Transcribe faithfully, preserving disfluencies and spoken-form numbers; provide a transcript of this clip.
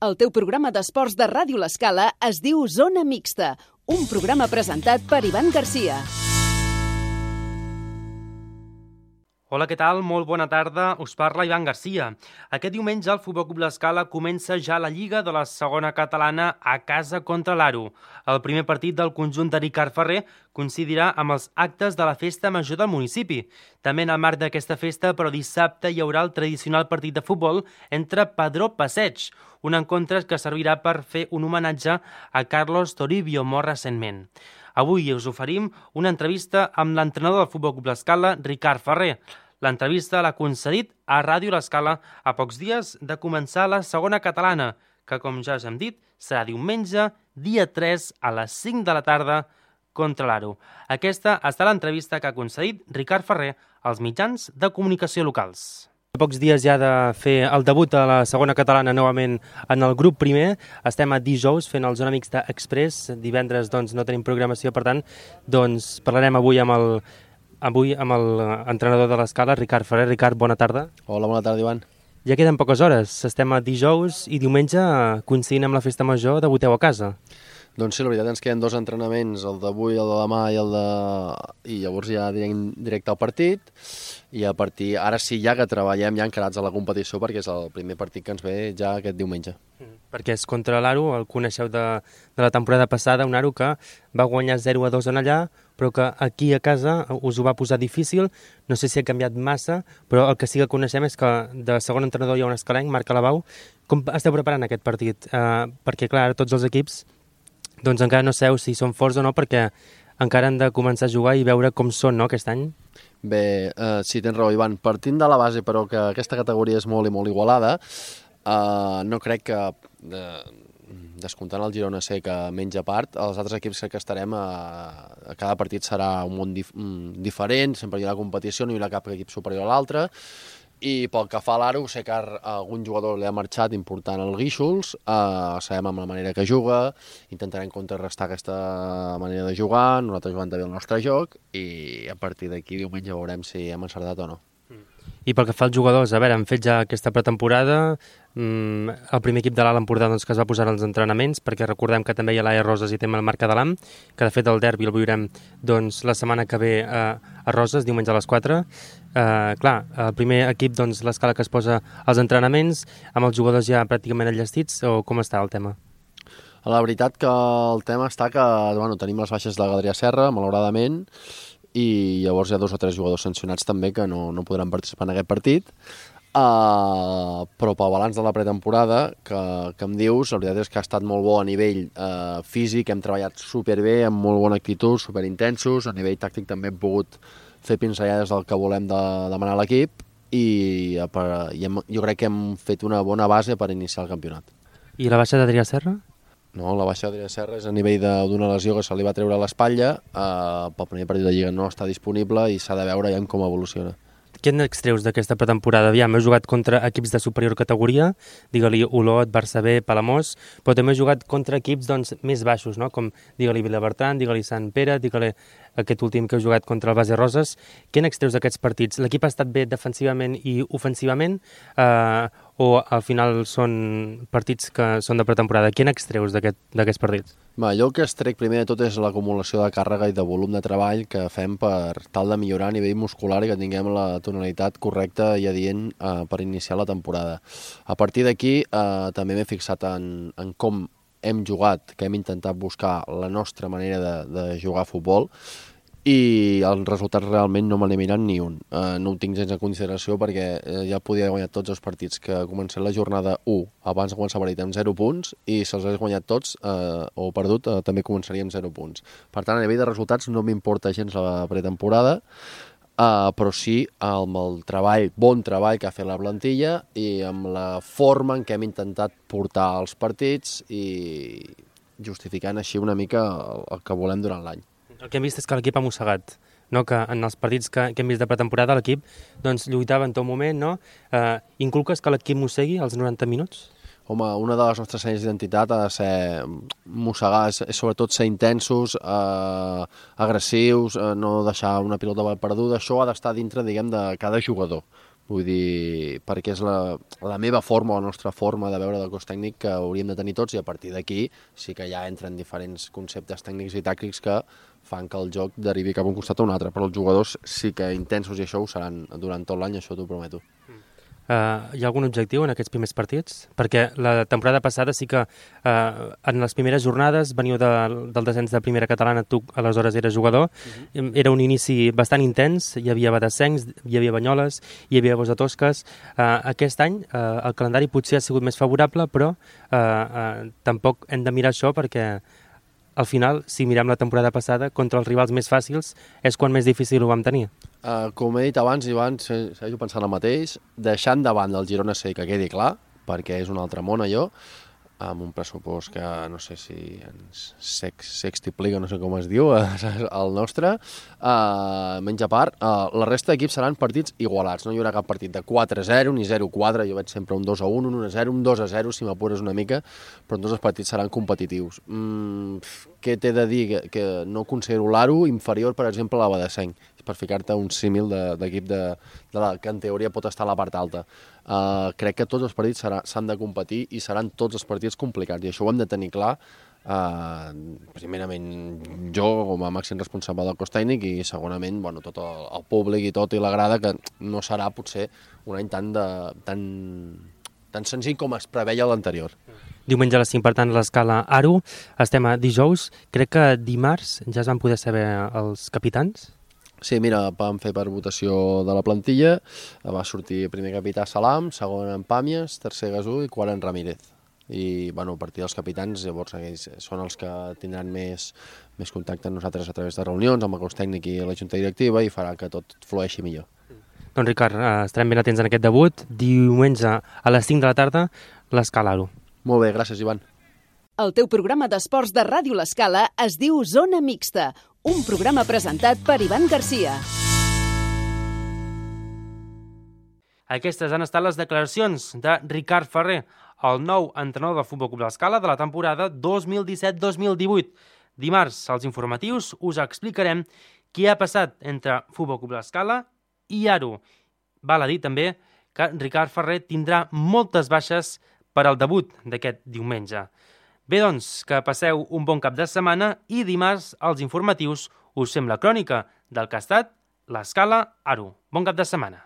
El teu programa d'esports de Ràdio L'Escala es diu Zona Mixta, un programa presentat per Ivan Garcia. Hola, què tal? Molt bona tarda. Us parla Ivan Garcia. Aquest diumenge el Futbol Club L'Escala comença ja la Lliga de la segona catalana a casa contra l'Aro. El primer partit del conjunt de Ricard Ferrer coincidirà amb els actes de la festa major del municipi. També en el marc d'aquesta festa, però dissabte, hi haurà el tradicional partit de futbol entre Padró Passeig, un encontre que servirà per fer un homenatge a Carlos Toribio, mort recentment. Avui us oferim una entrevista amb l'entrenador del Futbol Club L'Escala, Ricard Ferrer. L'entrevista l'ha concedit a Ràdio L'Escala a pocs dies de començar la segona catalana, que, com ja us hem dit, serà diumenge, dia tres, a les cinc de la tarda, contra l'Aro. Aquesta ha estat l'entrevista que ha concedit Ricard Ferrer als mitjans de comunicació locals. A pocs dies ja de fer el debut a la segona catalana novament en el grup primer. Estem a dijous fent el Zona Mixta Express. Divendres doncs, no tenim programació, per tant doncs, parlarem avui amb el avui amb l'entrenador de l'Escala, Ricard Ferrer. Ricard, bona tarda. Hola, bona tarda, Ivan. Ja queden poques hores. Estem a dijous i diumenge, coincidint amb la festa major, debuteu a casa. Doncs sí, la veritat ens queden dos entrenaments, el d'avui, el de demà i el de... i llavors ja directe al partit, i a partir, ara sí ja que treballem ja encarats a la competició perquè és el primer partit que ens ve ja aquest diumenge. Mm. Perquè és contra l'Aro, el coneixeu de, de la temporada passada, un Aro que va guanyar zero a dos en allà, però que aquí a casa us ho va posar difícil, no sé si ha canviat massa, però el que sí que coneixem és que de segon entrenador hi ha un escalenc, Marc Alabau. Com esteu preparant aquest partit? Uh, perquè clar, tots els equips doncs encara no sabeu si són forts o no, perquè encara han de començar a jugar i veure com són, no, aquest any. Bé, eh, sí, tens raó, Ivan. Partint de la base, però, que aquesta categoria és molt i molt igualada, eh, no crec que, eh, descomptant el Girona sé que menja part, els altres equips que estarem, a, a cada partit serà un món dif diferent, sempre hi haurà competició, no hi haurà cap equip superior a l'altre. I pel que fa a l'Aro, sé que algun jugador li ha marxat important al Guíxols, eh, sabem amb la manera que juga, intentarem contrarrestar aquesta manera de jugar, nosaltres jugant també el nostre joc, i a partir d'aquí diumenge veurem si hem encertat o no. I pel que fa als jugadors, a veure, han fet ja aquesta pretemporada, mm, el primer equip de l'Alt Empordà doncs, que es va posar als entrenaments, perquè recordem que també hi ha l'A E Roses i també el Marc Adalam, que de fet el derbi el viurem doncs, la setmana que ve a, a Roses, diumenge a les quatre. Uh, clar, el primer equip, doncs, l'Escala que es posa als entrenaments, amb els jugadors ja pràcticament enllestits, o com està el tema? La veritat que el tema està que bueno, tenim les baixes de la Gadrià Serra, malauradament, i llavors hi ha dos o tres jugadors sancionats també que no, no podran participar en aquest partit. Uh, però pel balanç de la pretemporada que, que em dius, la veritat és que ha estat molt bo a nivell uh, físic, hem treballat superbé, amb molt bona actitud, superintensos, a nivell tàctic també hem pogut fer pinzellades del que volem de, demanar a l'equip i, per, i hem, jo crec que hem fet una bona base per iniciar el campionat. I la baixa d'Adrià Serra? No, la baixa d'Adrià Serra és a nivell d'una lesió que se li va treure a l'espatlla, eh, pel primer partit de Lliga no està disponible i s'ha de veure ja com evoluciona. Què n'extreus d'aquesta pretemporada? Aviam, heu jugat contra equips de superior categoria, digue-li Olot, Barça B, Palamós, però també heu jugat contra equips doncs, més baixos, no? Com digue-li Vilabertran, digue-li Sant Pere, digue-li aquest últim que heu jugat contra el Base Roses. Què n'extreus d'aquests partits? L'equip ha estat bé defensivament i ofensivament eh, o al final són partits que són de pretemporada? Què n'extreus d'aquests aquest, partits? Va, jo el que extrec primer de tot és l'acumulació de càrrega i de volum de treball que fem per tal de millorar a nivell muscular i que tinguem la tonalitat correcta i adient eh, per iniciar la temporada. A partir d'aquí eh, també m'he fixat en, en com hem jugat, que hem intentat buscar la nostra manera de, de jugar a futbol i els resultats realment no me n'he mirat ni un. Eh, no ho tinc gens en consideració perquè eh, ja podia haver guanyat tots els partits que comencem la jornada u abans de començar a partit amb zero punts i si els hagués guanyat tots eh, o perdut eh, també començaria amb zero punts. Per tant, a nivell de resultats no m'importa gens la pretemporada, eh, però sí amb el treball, bon treball que ha fet la plantilla i amb la forma en què hem intentat portar els partits i justificant així una mica el, el que volem durant l'any. El que hem vist és que l'equip ha mossegat, no? Que en els partits que, que hem vist de pretemporada l'equip doncs, lluitava en tot moment. No? Eh, inculques que l'equip mossegui als noranta minuts? Home, una de les nostres senyes d'identitat ha de ser mossegar, és, és sobretot ser intensos, eh, agressius, eh, no deixar una pilota perduda. Això ha d'estar dintre, diguem, de cada jugador. Vull dir, perquè és la, la meva forma, la nostra forma de veure del cos tècnic que hauríem de tenir tots, i a partir d'aquí sí que ja entren diferents conceptes tècnics i tàctics que fan que el joc derivi cap a un costat o un altre, però els jugadors sí que intensos i això ho seran durant tot l'any, això t'ho prometo. Uh, hi ha algun objectiu en aquests primers partits? Perquè la temporada passada sí que uh, en les primeres jornades veniu de, del descens de primera catalana, tu aleshores eres jugador, uh-huh. Era un inici bastant intens, hi havia Badassencs, hi havia Banyoles, hi havia Bosa Tosques. Uh, aquest any uh, el calendari potser ha sigut més favorable, però uh, uh, tampoc hem de mirar això perquè al final, si mirem la temporada passada, contra els rivals més fàcils és quan més difícil ho vam tenir. Uh, com he dit abans, Ivan, segueixo pensant el mateix, deixant davant del Girona C, que quedi clar, perquè és un altre món allò, amb un pressupost que no sé si ens sex, sextiplica, no sé com es diu, el nostre, uh, menys a part, uh, la resta d'equips seran partits igualats, no hi haurà cap partit de quatre a zero ni zero a quatre, jo veig sempre un dos a un, un un a zero, un dos a zero, si m'apures una mica, però tots els partits seran competitius. Mm, què t'he de dir? Que, que no considero l'Aro inferior, per exemple, a la Badassenc, per ficar-te un símil d'equip de, de, de la, que en teoria pot estar a la part alta. Uh, crec que tots els partits s'han de competir i seran tots els partits complicats, i això ho hem de tenir clar, uh, primerament jo com a màxim responsable del cos tècnic i segurament bueno, tot el, el públic i tot i la grada, que no serà potser un any tan, de, tan, tan senzill com es preveia l'anterior. Diumenge a les cinc, per tant, l'escala Aro. Estem a dijous. Crec que dimarts ja es van poder saber els capitans. Sí, mira, vam fer per votació de la plantilla, va sortir primer capità Salam, segon en Pàmies, tercer Gasú i quart en Ramírez. I, bueno, a partir dels capitans, llavors aquells són els que tindran més, més contacte amb nosaltres a través de reunions, amb el cos tècnic i la junta directiva, i farà que tot flueixi millor. Doncs Ricard, estarem ben atents en aquest debut. Diumenge a les cinc de la tarda, l'escala Aro. Molt bé, gràcies, Ivan. El teu programa d'esports de Ràdio L'Escala es diu Zona Mixta, un programa presentat per Ivan Garcia. Aquestes han estat les declaracions de Ricard Ferrer, el nou entrenador del Futbol Club L'Escala de la temporada dos mil disset dos mil divuit. Dimarts, als informatius, us explicarem què ha passat entre Futbol Club L'Escala i Aro. Val a dir també que Ricard Ferrer tindrà moltes baixes per al debut d'aquest diumenge. Bé, doncs, que passeu un bon cap de setmana i dimarts, als informatius, us fem la crònica del que ha estat l'Escala Aro. Bon cap de setmana.